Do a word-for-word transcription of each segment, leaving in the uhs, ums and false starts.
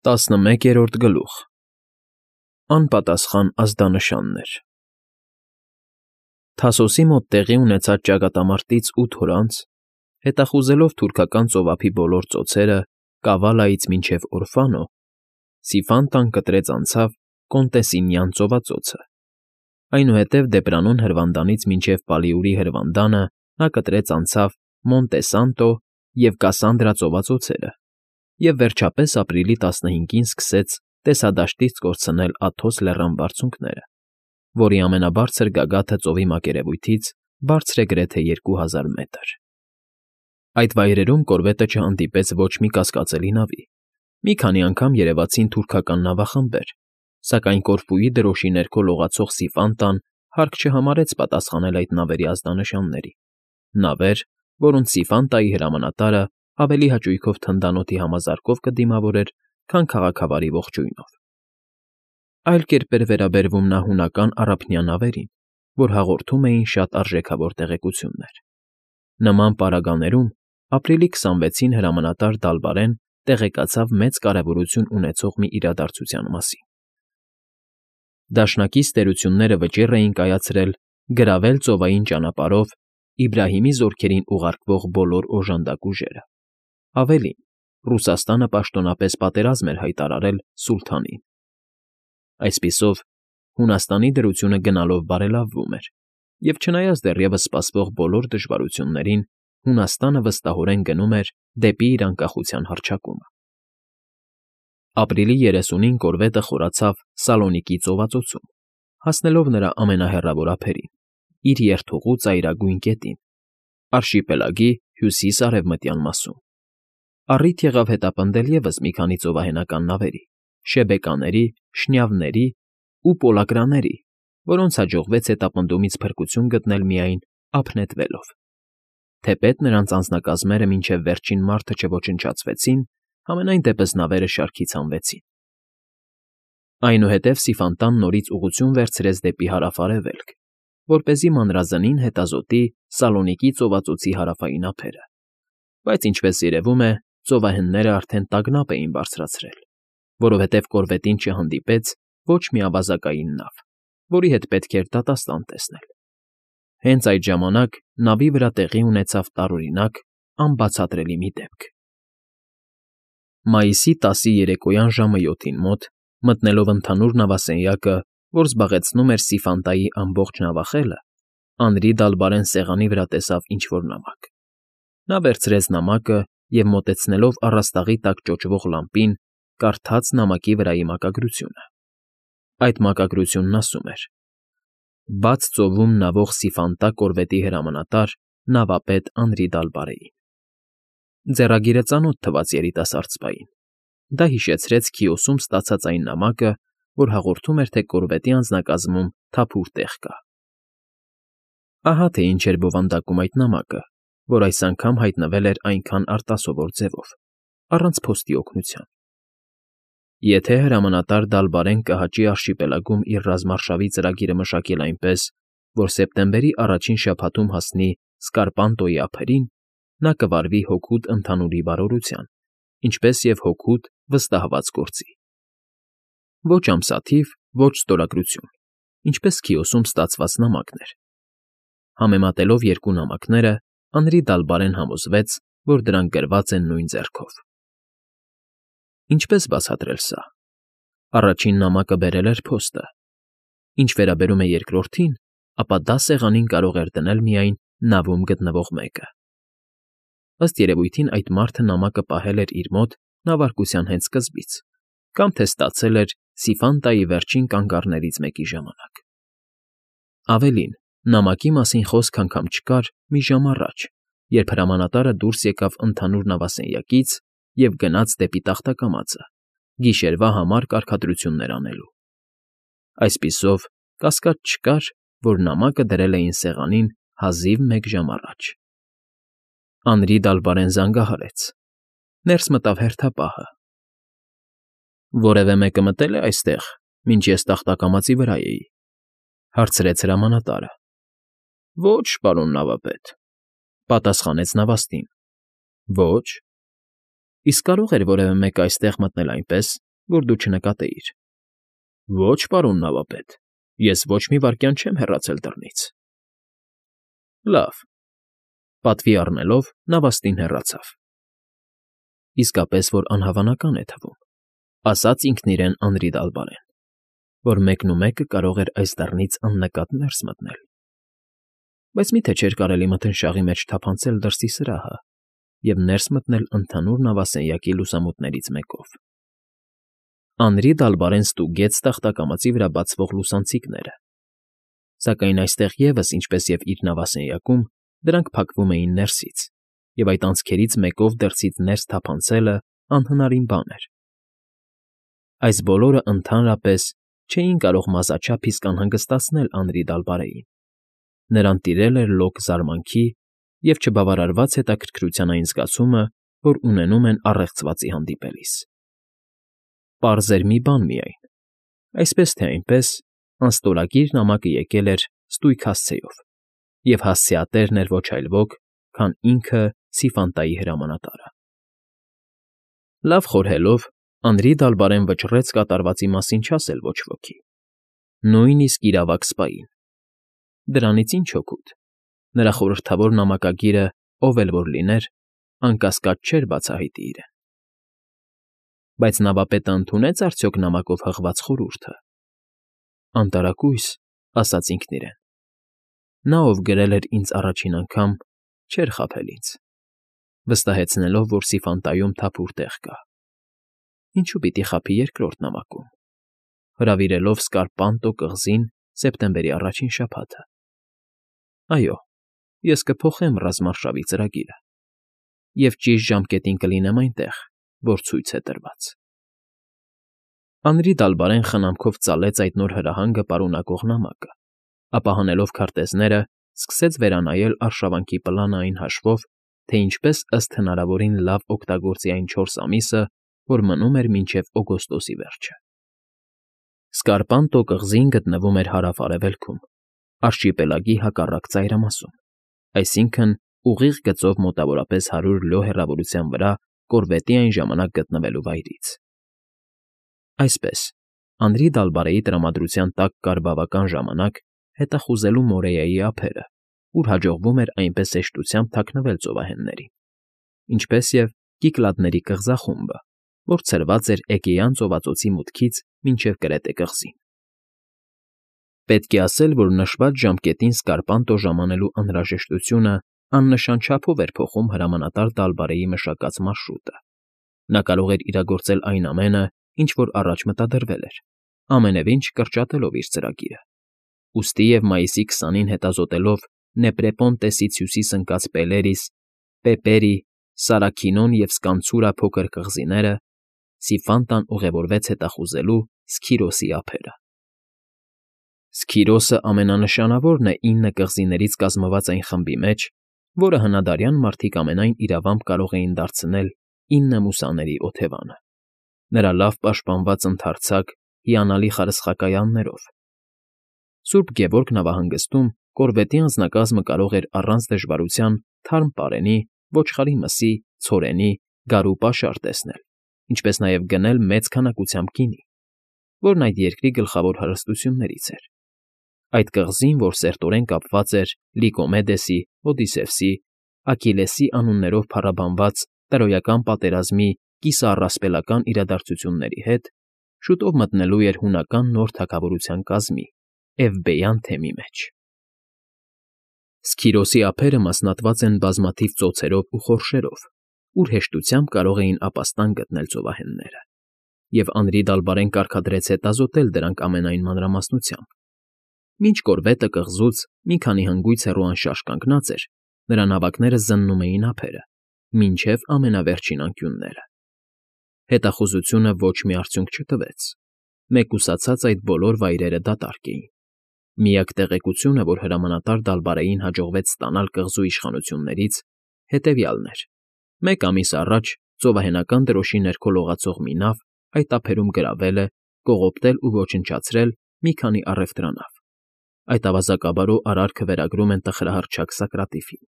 ՏԱՍՆՄԵԿԵՐՈՐԴ ԳԼՈՒԽ ԱՆՊԱՏԱՍԽԱՆ ԱԶԴԱՆՇԱՆՆԵՐ Թասոսի մոտ տեղի ունեցած ճակատամարտից ութ օր անց, հետախուզելով թուրքական ծովափի բոլոր ծոցերը Կավալայից մինչև Օրֆանո, Սիֆանտան կտրեց անցավ Կոնտեսինյան ծովածոցը, այնուհետև Դեպրանոն հրվանդանից մինչև Պալիուրի հրվանդանը նա կտրեց անցավ Մոնտե Սանտո և Կասանդրա ծովածոցերը և վերջապես ապրիլի տասնհինգին սկսեց տեսադաշտից կորցնել Աթոս լեռան բարձունքները, որի ամենաբարձր գագաթը ծովի մակերևույթից բարձր է գրեթե երկու հազար մետր։ Այդ վայրերում կորվետը չհանդիպեց ոչ մի կասկածելի նավի, մի քանի անգամ երևացին թուրքական նավախմբեր, սակայն Կորֆուի դրոշի ներքո լողացող Սիֆանտան հարկ չհամարեց պատասխանել այդ նավերի ազդանշանների, նավեր, որոնց Սիֆանտայի հրամանատարը ավելի հաճույքով թնդանոթի համազարկով կդիմավորեր, քան քաղաքավարի ողջույնով։ Այլ կերպ էր վերաբերվում նա հունական առափնյա նավերին, որ հաղորդում էին շատ արժեքավոր տեղեկություններ։ Նման պարագաներում ապրիլի քսանվեցին հրամանատար Դալբարեն տեղեկացավ մեծ կարևորություն ունեցող մի իրադարձության մասին։ Դաշնակից տերությունները վճիռ էին կայացրել գրավել ծովային ճանապարհով Իբրահիմի զորքերին ուղարկվող բոլոր օժանդակ ուժերը։ Ավելին, Ռուսաստանը պաշտոնապես պատերազմ էր հայտարարել սուլթանին։ Այսպիսով, Հունաստանի դրությունը գնալով բարելավվում էր, և չնայած դեռևս սպասվող բոլոր դժվարություններին, Հունաստանը վստահորեն գնում էր դեպի իր անկախության հռչակումը։ Ապրիլի երեսունին կորվետը խորացավ Սալոնիկի ծովածոցում, հասնելով նրա ամենահեռավոր ափերին՝ իր երթուղու ծայրագույն կետին, արշիպելագի հյուսիս֊արևմտյան մասում։ Առիթ եղավ հետապնդել ևս մի քանի ծովահենական նավերի՝ շեբեկաների, շնյավների ու պոլակրաների, որոնց հաջողվեց հետապնդումից փրկություն գտնել միայն ափ նետվելով։ Թեպետ նրանց անձնակազմերը մինչև վերջին մարդը չոչնչացվեցին, համենայն դեպս նավերը շարքից հանվեցին։ Այնուհետև Սիֆանտան նորից ուղղություն վերցրեց դեպի հարավ֊արևելք, որպեսզի մանրազնին հետազոտի Սալոնիկի ծովածոցի հարավային ափերը, բայց, ինչպես երևում է, ծովահենները արդեն տագնապ էին բարձրացրել, որովհետև կորվետին չհանդիպեց ոչ մի ավազակային նավ, որի հետ պետք էր դատաստան տեսնել։ Հենց այդ ժամանակ նավի վրա տեղի ունեցավ տարօրինակ, անբացատրելի մի դեպք։ Մայիսի տասի երեկոյան ժամը յոթին մոտ, մտնելով ընդհանուր նավասենյակը, որ զբաղեցնում էր Սիֆանտայի ամբողջ նավախելը, Անրի Դալբարեն սեղանի վրա տեսավ ինչ֊որ նամակ։ Նա վերցրեց նամակը և, մոտեցնելով առաստաղի տակ ճոճվող լամպին, կարդաց նամակի վրայի մակագրությունը։ Այդ մակագրությունն ասում էր. «Բաց ծովում նավող Սիֆանտա կորվետի հրամանատար նավապետ Անրի Դալբարեին»։ Ձեռագիրը ծանոթ թվաց երիտասարդ սպային։ Դա հիշեցրեց Քիոսում ստացած այն նամակը, որ հաղորդում էր, թե կորվետի անձնակազմում թափուր տեղ կա։ Ահա թե ինչ էր բովանդակում այդ նամակը, որ այս անգամ հայտնվել էր այնքան արտասովոր ձևով, առանց փոստի օգնության։ Եթե հրամանատար Դալբարեն կհաճի արշիպելագում իր ռազմարշավի ծրագիրը մշակել այնպես, որ սեպտեմբերի առաջին շաբաթում հասնի Սկարպանտոյի ափերին, նա կվարվի հօգուտ ընդհանուրի բարօրության, ինչպես և հօգուտ վստահված գործի։ Ոչ ամսաթիվ, ոչ ստորագրություն, ինչպես Քիոսում ստացված նամակն էր։ Համեմատելով երկու նամակները, Անրի Դալբարեն համոզվեց, որ դրանք գրված են նույն ձեռքով։ Ինչպես բացատրել սա։ Առաջին նամակը բերել էր փոստը։ Ինչ վերաբերում է երկրորդին, ապա դա սեղանին կարող էր դնել միայն նավում գտնվող մեկը։ Ըստ երևույթին այդ մարդը նամակը պահել էր իր մոտ նավարկության հենց սկզբից, կամ թե ստացել էր Սիֆանտայի վերջին կանգառներից մեկի ժամանակ։ Ավելին, նամակի մասին խոսք անգամ չկար մի ժամ առաջ, երբ հրամանատարը դուրս եկավ ընդհանուր նավասենյակից և գնաց դեպի տախտակամածը՝ գիշերվա համար կարգադրություններ անելու։ Այսպիսով, կասկած չկար, որ նամակը դրել էին սեղանին հազիվ մեկ ժամ առաջ։ Անրի Դալբարեն զանգահարեց։ Ներս մտավ հերթապահը։ «Որևէ մեկը մտե՞լ է այստեղ, մինչ ես տախտակամածի վրա էի», ֊ հարցրեց հրամանատարը։ «Ոչ, պարոն նավապետ», ֊ պատասխանեց նավաստին։ «Ոչ։ Իսկ կարո՞ղ էր որևէ մեկը այստեղ մտնել այնպես, որ դու չնկատեիր։ ֊ Ոչ, պարոն նավապետ, ես ոչ մի վայրկյան չեմ հեռացել դռնից։ ֊ Լավ,֊ պատվի առնելով նավաստին հեռացավ։ Իսկապես որ անհավանական է թվում,֊ ասաց ինքն իրեն Անրի Դալբարեն, որ մեկնումեկը կարող էր այս դռնից աննկատ ներս մտնել։ Բայց մի՞թե չէր կարելի մթնշաղի մեջ թափանցել դրսի սրահը և ներս մտնել ընդհանուր նավասենյակի լուսամուտներից մեկով։ Անրի Դալբարեն ստուգեց տախտակամածի վրա բացվող լուսանցիկները, սակայն այստեղ ևս, ինչպես և իր նավասենյակում, դրանք փակվում էին ներսից, և այդ անցքերից մեկով դրսից ներս թափանցելը անհնարին բան էր։ Այս բոլորը ընդհանրապես չէին կարող մազաչափ իսկ անհանգստացնել Անրի Դալբարեին։ Նրան տիրել էր լոկ զարմանքի և չբավարարված հետաքրքրության այն զգացումը, որ ունենում են առեղծվածի հանդիպելիս։ Պարզ էր մի բան միայն. այսպես թե այնպես, անստորագիր նամակը եկել էր ստույգ հասցեով, և հասցեատերն էր ոչ այլ ոք, քան ինքը Սիֆանտայի հրամանատարը։ Լավ խորհելով, Անրի Դալբարեն վճռեց կատարվածի մասին չասել ոչ ոքի, նույնիսկ իրավակ սպային։ Դրանից ինչ օգուտ, նրա խորհրդավոր նամակագիրը, ով էլ որ լիներ, անկասկած չէր բացահայտի իրեն։ Բայց նավապետը ընդունե՞ց արդյոք նամակով հղված խորհուրդը։ Անտարակույս, ասաց ինքն իրեն, նա, ով գրել էր ինձ առաջին անգամ, չէր խաբել ինձ, վստահեցնելով, որ Սիֆանտայում թափուր տեղ կա։ Ինչու պիտի խաբի երկրորդ նամակում, հրավիրելով Սկարպանտո կղզին սեպտեմբերի առաջին շաբաթը։ Այո, ես կփոխեմ ռազմարշավի ծրագիրը և ճիշտ ժամկետին կլինեմ այնտեղ, որ ցույց է տրված։ Անրի Դալբարեն խնամքով ծալեց այդ նոր հրահանգը պարունակող նամակը, ապա հանելով քարտեզները, սկսեց վերանայել արշավանքի պլանը այն հաշվով, թե ինչպես ըստ հնարավորին լավ օգտագործի այն չորս ամիսը, որ մնում էր մինչև օգոստոսի վերջը։ Սկարպանտո կղզին գտնվում էր հարավ֊արևելքում, արշիպելագի հակառակ ծայրամասում, այսինքն՝ ուղիղ գծով մոտավորապես հարյուր լյո հեռավորության վրա կորվետի այն ժամանակ գտնվելու վայրից։ Այսպես, Անրի Դալբարեի տրամադրության տակ կար բավական ժամանակ հետախուզելու Մորեայի ափերը, ուր հաջողվում էր այնպես հեշտությամբ թաքնվել ծովահեններին, ինչպես և Կիկլադների կղզախումբը, որ ցրված էր Էգեյան ծովածոցի մուտքից մինչև Կրետե կղզին։ Պետք է ասել, որ նշված ժամկետին Սկարպանտո ժամանելու անհրաժեշտությունը աննշան չափով էր փոխում հրամանատար Դալբարեի մշակած մարշրուտը։ Նա կարող էր իրագործել այն ամենը, ինչ որ առաջ մտադրվել էր, ամենևին չկրճատելով իր ծրագիրը։ Ուստի և մայիսի քսանին հետազոտելով Նեպրեպոնտեսից հյուսիս ընկած Պելերիս, Պեպերի, Սարաքինոն և Սկանցուրա փոքր կղզիները, Սիֆանտան ուղևորվեց հետախուզելու Սքիրոսի ափերը։ Սքիրոսը ամենանշանավորն է ինը կղզիներից կազմված այն խմբի մեջ, որը հնադարյան մարդիկ ամենայն իրավամբ կարող էին դարձնել ինը մուսաների օթևանը, նրա լավ պաշտպանված ընդարձակ, հիանալի խարսխակայաններով։ Սուրբ Գևորգ նավահանգստում կորվետի անձնակազմը կարող էր առանց դժվարության թարմ պարենի, ոչխարի մսի, ցորենի, գարու պաշար տեսնել, ինչպես նաև գնել մեծ քանակությամբ գինի, որն այդ երկրի գլխավոր հարստություններից էր։ Այդ կղզին, որ սերտորեն կապված էր Լիկոմեդեսի, Օդիսևսի, Աքիլեսի անուններով փառաբանված տրոյական պատերազմի կիսաառասպելական իրադարձությունների հետ, շուտով մտնելու էր հունական նոր թագավորության կազմի, Էվբեյան թեմի մեջ։ Սքիրոսի ափերը մասնատված են բազմաթիվ ծոցերով ու խորշերով, ուր հեշտությամբ կարող էին ապաստան գտնել ծովահենները, և Անրի Դալբարեն կարգադրեց հետազոտել դրանք ամենայն մանրամասնությամբ։ Մինչ կորվետը կղզուց մի քանի հնգույց հեռու անշարժ կանգնած էր, նրա նավակները զննում էին ափերը, մինչև ամենավերջին անկյունները։ Հետախուզությունը ոչ մի արդյունք չտվեց։ Մեկուսացած այդ բոլոր վայրերը դատարկ էին։ Միակ տեղեկությունը, որ հրամանատար Դալբարեին հաջողվեց ստանալ կղզու իշխանություններից, հետևյալն էր. մեկ ամիս առաջ ծովահենական դրոշի ներքո լողացող մի նավ այդ ափերում գրավել է, կողոպտել ու ոչնչացրել մի քանի առևտրանավ։ Այդ ավազակաբարո արարքը վերագրում են տխրահռչակ Սակրատիֆին։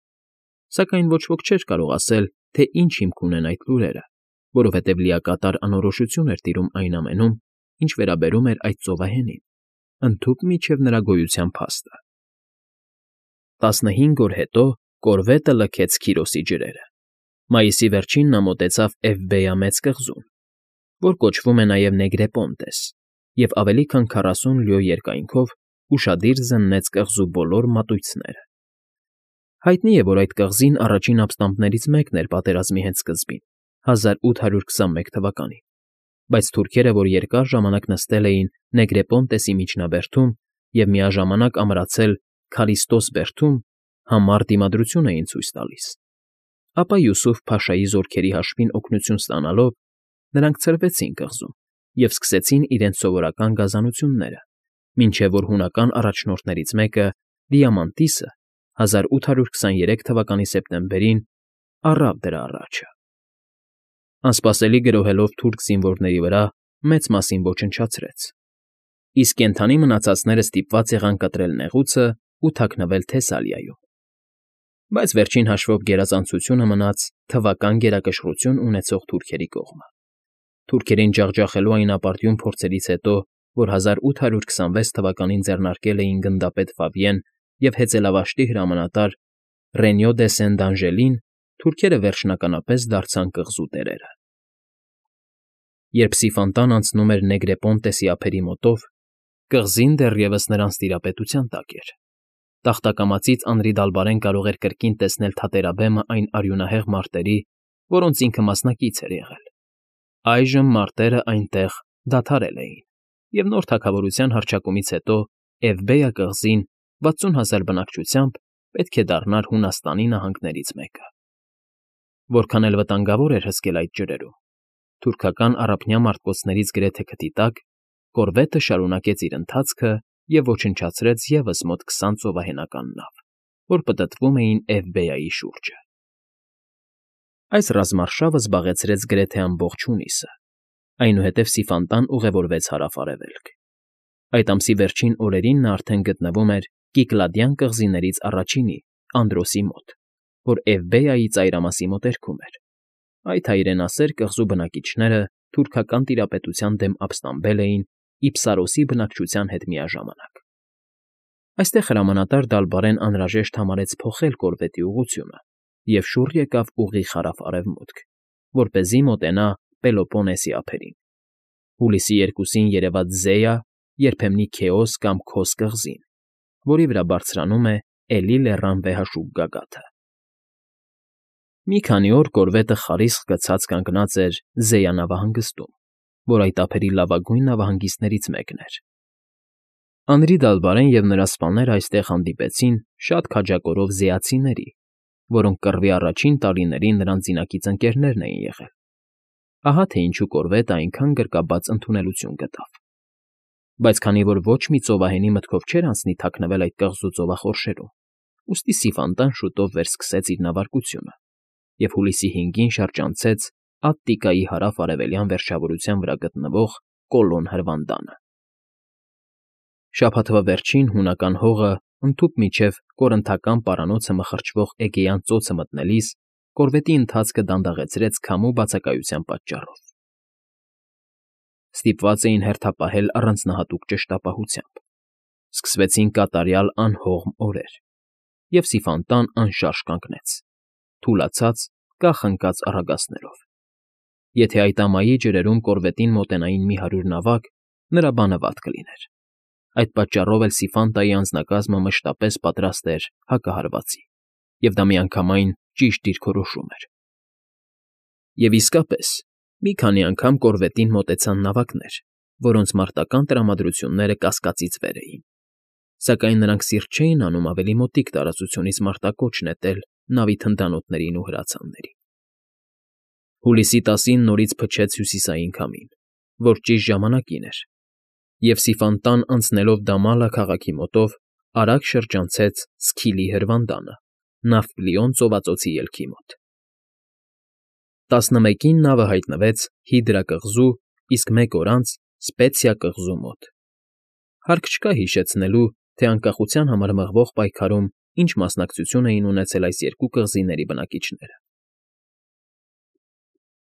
Սակայն ոչ ոք չէր կարող ասել, թե ինչ հիմք ունեն այդ լուրերը, որովհետև լիակատար անորոշություն էր տիրում այն ամենում, ինչ վերաբերում էր այդ ծովահենին, ընդհուպ մինչև նրա գոյության փաստը։ Տասնհինգ օր հետո կորվետը լքեց Քիրոսի ջրերը։ Մայիսի վերջին նա մոտեցավ Էվբեյա մեծ կղզուն, որ կոչվում է նաև Նեգրեպոնտես, և ավելի քան քառասուն լյո երկայնքով ուշադիր զննեց կղզու բոլոր մատույցները։ Հայտնի է, որ այդ կղզին առաջին ապստամբներից մեկն էր պատերազմի հենց սկզբին, հազար ութ հարյուր քսանմեկ թվականին, բայց թուրքերը, որ երկար ժամանակ նստել էին Նեգրեպոնտեսի միջնաբերդում և միաժամանակ ամրացել Քարիստոս բերդում, համառ դիմադրություն էին ցույց տալիս, ապա Յուսուֆ փաշայի զորքերի հաշվին օգնություն ստանալով, նրանք ցրվեցին կղզում և սկսեցին իրենց սովորական գազանությունները, մինչև որ հունական առաջնորդներից մեկը՝ Դիամանտիսը, հազար ութ հարյուր քսաներեք թվականի սեպտեմբերին առավ դրա առաջը։ Անսպասելի գրոհելով թուրք զինվորների վրա, մեծ մասին ոչնչացրեց, իսկ կենդանի մնացածները ստիպված եղան կտրել նեղուցն ու թաքնվել Թեսալիայում։ Բայց վերջին հաշվով գերազանցությունը մնաց թվական գերակշռություն ունեցող թուրքերի կողմը։ Թուրքերին ջախջախելու այն ապարդյուն փորձերից հետո, որ հազար ութ հարյուր քսանվեց թվականին ձեռնարկել էին գնդապետ Ֆավիեն և հեծելավաշտի հրամանատար Ռենյո դե Սեն֊Դանժելին, թուրքերը վերջնականապես դարձան կղզու տերերը։ Երբ Սիֆանտան անցնում էր Նեգրեպոնտեսի ափերի մոտով, կղզին դեռևս նրանց տիրապետության տակ էր։ Տախտակամածից անրիդալբարեն կարող էր կրկին տեսնել թատերաբեմը այն արյունահեղ մարտերի, որոնց ինքը մասնակից էր եղել։ Այժմ մարտերը այնտեղ դադարել էին, և նոր թագավորության հռչակումից հետո Էվբեյա կղզին վաթսուն հազար բնակչությամբ պետք է դառնար Հունաստանի նահանգներից մեկը։ Որքան էլ վտանգավոր էր հսկել այդ ջրերում, թուրքական առափնյա մարտկոցներից գրեթե քթի տակ, կորվետը շարունակեց իր ընթացքը և ոչնչացրեց ևս մոտ քսան ծովահենական նավ, որ պտտվում էին Էվբեյայի շուրջը։ Այս ռազմարշավը զբաղեցրեց գրեթե ամբողջ հունիսը, այնուհետև Սիֆանտան ուղևորվեց հարավ֊արևելք։ Այդ ամսի վերջին օրերին նա արդեն գտնվում էր Կիկլադյան կղզիներից առաջինի՝ Անդրոսի մոտ, որ Էվբեյայի ծայրամասի մոտերքում էր։ Այդ հայրենասեր կղզու բնակիչները թուրքական տիրապետության դեմ ապստամբել էին Իպսարոսի բնակչության հետ միաժամանակ։ Այստեղ հրամանատար Դալբարեն անհրաժեշտ համարեց փոխել կորվետի ուղղությունը և շուռ եկավ ուղիղ հարավ֊արևմուտք, որպեսզի մոտենա Պելոպոնեսի ափերին։ Հուլիսի երկուսին երևաց Զեյա, երբեմնի Քեոս կամ Քոս կղզին, որի վրա բարձրանում է Էլի լեռան վեհաշուկ գագաթը։ Մի քանի օր կորվետը խարիսխ գցած կանգնած էր Զեյա նավահանգստում, որ այդ ափերի լավագույն նավահանգիստներից մեկն էր։ Անրի Դալբարեն և նրա սպաները այստեղ հանդիպեցին շատ քաջակորով զեացիների, որոնք կռվի առաջին տարիներին նրանց զինակից ընկերներն էին եղել։ Ահա թե ինչու կորվետը այնքան գրկաբաց ընդունելություն գտավ։ Բայց քանի որ ոչ մի ծովահենի մտքով չէր անցնի թաքնվել այդ կղզու ծովախորշերում, ուստի Սիֆանտան շուտով վերսկսեց իր նավարկությունը և հուլիսի հինգին շրջանցեց Ատտիկայի հարավ֊արևելյան վերջավորության վրա գտնվող Կոլոն հրվանդանը։ Շաբաթվա վերջին հունական հողը ընդհուպ մինչև կորնթական պարանոցը մխրճվող Էգեյան ծոցը մտնելիս կորվետի ընթացքը դանդաղեցրեց քամու բացակայության պատճառով։ Ստիպված էին հերթապահել առանձնահատուկ ճշտապահությամբ։ Սկսվեցին կատարյալ անհողմ օրեր, և Սիֆանտան անշարժ կանգնեց, թուլացած, կախ ընկած առագաստներով։ Եթե այդ ամայի ջրերում կորվետին մոտենային մի հարյուր նավակ, նրա բանը վատ կլիներ։ Այդ պատճառով էլ Սիֆանտայի անձնակազմը մշտապես պատրաստ էր հակահարվածի, և դա միանգամայն ճիշտ դիրքորոշում էր։ Եվ իսկապես, մի քանի անգամ կորվետին մոտեցան նավակներ, որոնց մարտական տրամադրությունները կասկածից վեր էին, սակայն նրանք սիրտ չէին անում ավելի մոտիկ տարածությունից մարտակոչ նետել նավի թնդանոթներին ու հրացաններին։ Հուլիսի տասին նորից փչեց հյուսիսային քամին, որ ճիշտ ժամանակին էր, և Սիֆանտան անցնելով Դամալա քաղաքի մոտով արագ շրջանցեց Սքիլի հրվանդանը՝ Նավպլիոն ծովածոցի ելքի մոտ։ Տասնմեկին նավը հայտնվեց Հիդրա կղզու, իսկ մեկ օր անց՝ Սպեցիա կղզու մոտ։ Հարկ չկա հիշեցնելու, թե անկախության համար մղվող պայքարում ինչ մասնակցություն էին ունեցել այս երկու կղզիների բնակիչները։